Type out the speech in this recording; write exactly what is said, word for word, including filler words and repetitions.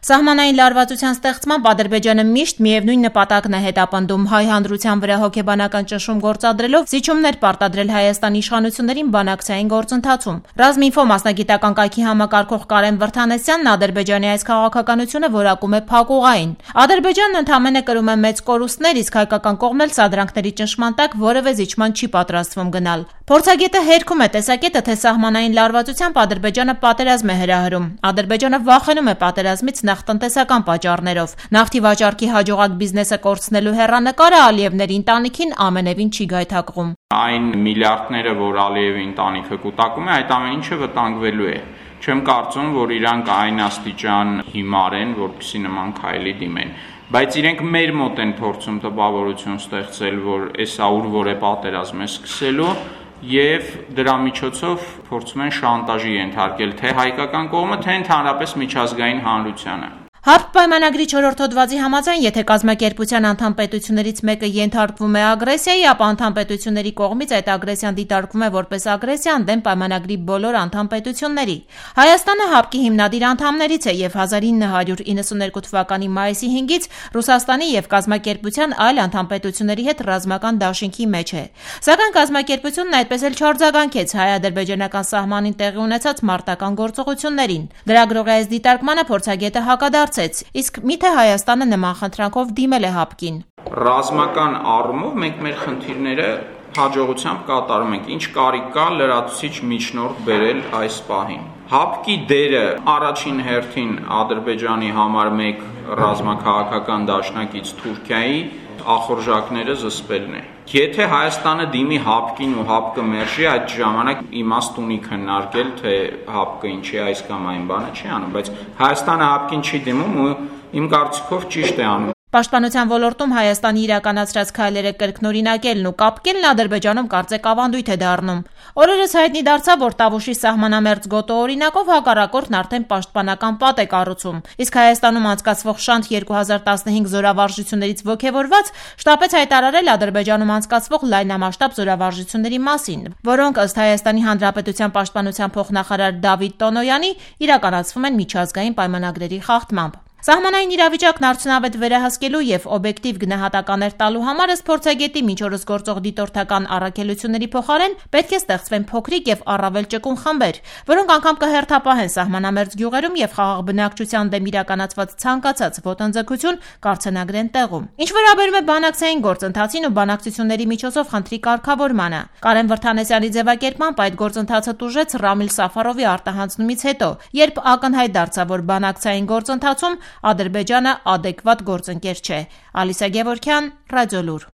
Սահմանային լարվածության ստեղծմամբ Ադրբեջանը միշտ միևնույն նպատակն է հետապնդում՝ հայ հանրության վրա հոգեբանական ճնշում գործադրելով զիջումներ պարտադրել Հայաստանի իշխանություններին բանակցային գործընթացում։ Ռազմինֆո մասնագիտական կայքի համակարգող Կարեն Վրդանեսյանն Ադրբեջանի այս քաղաքականությունը որակում է փակուղային։ Ադրբեջանն ընդամենը կրում է մեծ կորուստներ, իսկ հայկական կողմն էլ սադրանքների ճնշման տակ որևէ զիջման չի պատրաստվում գնալ։ Փորձագետը հերքում է տեսակետը, թե սահմանային լարվածությամբ Ադրբեջանը պատերազմ է հրահրում։ Ադրբեջանը վախենում է պատերազմից նախ տնտեսական պատճառներով։ Նավթի վաճառքի հաջողակ բիզնեսը կորցնելու հեռանկարը Ալիևների ընտանիքին ամենևին չի գայթակղում։ Այն միլիարդները, որ Ալիևի ընտանիքը կուտակում է, այդ ամեն ինչը վտանգվելու է։ Չեմ կարծում, որ իրանք այն աստիճան հիմար են, որպեսզի նման քայլի դիմեն։ Բայց իրենք մեր մոտ են փորձում տպավորություն ստեղծել, որ էսա ուր որ է պատերազմ է սկսելու, եւ դրա միջոցով փորձում են շանտաժի ենթարկել թե հայկական կողմը, թե ընդհանրապես միջազգային հանրությանը։ Հարկ պայմանագրի չորրորդ հոդվածի համաձայն, եթե կազմակերպության անդամ պետություններից մեկը ենթարկվում է ագրեսիայի, ապա անդամ պետությունների կողմից այդ ագրեսիան դիտարկվում է որպես ագրեսիա ընդդեմ պայմանագրի բոլոր անդամ պետությունների։ Հայաստանը ՀԱՊԿ-ի հիմնադիր անդամներից է եւ հազար ինը հարյուր իննսուններկու թվականի մայիսի հինգից Ռուսաստանի եւ կազմակերպության այլ անդամ պետությունների հետ ռազմական դաշինքի մեջ է։ Սակայն կազմակերպությունն այդպես էլ չարձագանքեց հայ-ադրբեջանական սահմանին տեղի ունեցած մարտական գործողություններին։ Լրագրողի այս դիտարկմանը փորձագետը հակադարձ Իսկ միթե Հայաստանը նման խնդրանքով դիմել է ՀԱՊԿ-ին։ Ռազմական առումով մենք մեր խնդիրները հաջողությամբ կատարում ենք, ինչ կարիք կա լրացուցիչ միջնորդ բերել այս պահին։ ՀԱՊԿ-ի դերը առաջին հերթին Ադրբեջանի համար մեկ ռազմաքաղաքական դաշնակից Թուրքիայի ախորժակները զսպելն է։ Եթե Հայաստանը դիմի ՀԱՊԿ-ին ու ՀԱՊԿ-ը մերժի, այդ ժամանակ իմաստ ունի քննարկել, թե ՀԱՊԿ-ը ինչի այս կամ այն բանը չի անում, բայց Հայաստանը ՀԱՊԿ-ին չի դիմում ու իմ կարծիքով ճիշտ է անում։ Պաշտպանության ոլորտում Հայաստանի իրականացրած քայլերը կրկնօրինակելն ու կապկելն Ադրբեջանում կարծեք ավանդույթ է դառնում։ Օրերս հայտնի դարձավ, որ Տավուշի սահմանամերձ գոտո օրինակով հակառակորդն արդեն պաշտպանական պատ է կառուցում, իսկ Հայաստանում անցկացվող Շանթ երկու հազար տասնհինգ զորավարժություններից ոգևորված շտապեց հայտարարել Ադրբեջանում անցկացվող լայնամասշտաբ զորավարժությունների մասին, որոնք ըստ Հայաստանի Հանրապետության պաշտպանության փոխնախարար Դավիթ Տոնոյանի իրականացվում են միջազգային պայմանագրերի խախտմամբ։ Սահմանային իրավիճակն արդյունավետ վերահսկելու եւ օբյեկտիվ գնահատականներ տալու համար ըստ փորձագետի մինչ օրս գործող դիտորդական առաքելությունների փոխարեն պետք է ստեղծվեն փոքրիկ եւ առավել ճկուն խմբեր, որոնք անգամ կհերթապահեն սահմանամերձ գյուղերում եւ խաղաղ բնակչության դեմ իրականացված ցանկացած ոտնձգություն կառցենագրեն տեղում։ Ինչ վերաբերում է բանակցային գործընթացին ու բանակցությունների միջոցով խնդրի կարգավորմանը, Կարեն Վրդանեսյանի ձևակերպմամբ այդ գործընթացը տուժեց Ռամիլ Սաֆարովի արտահանձնումից հետո, երբ ակնհայտ դարձավ, որ բանակցային գործընթացում Ադրբեջանը ադեկվատ գործընկեր չէ։ Ալիսա Գևորգյան, Ռադիոլուր։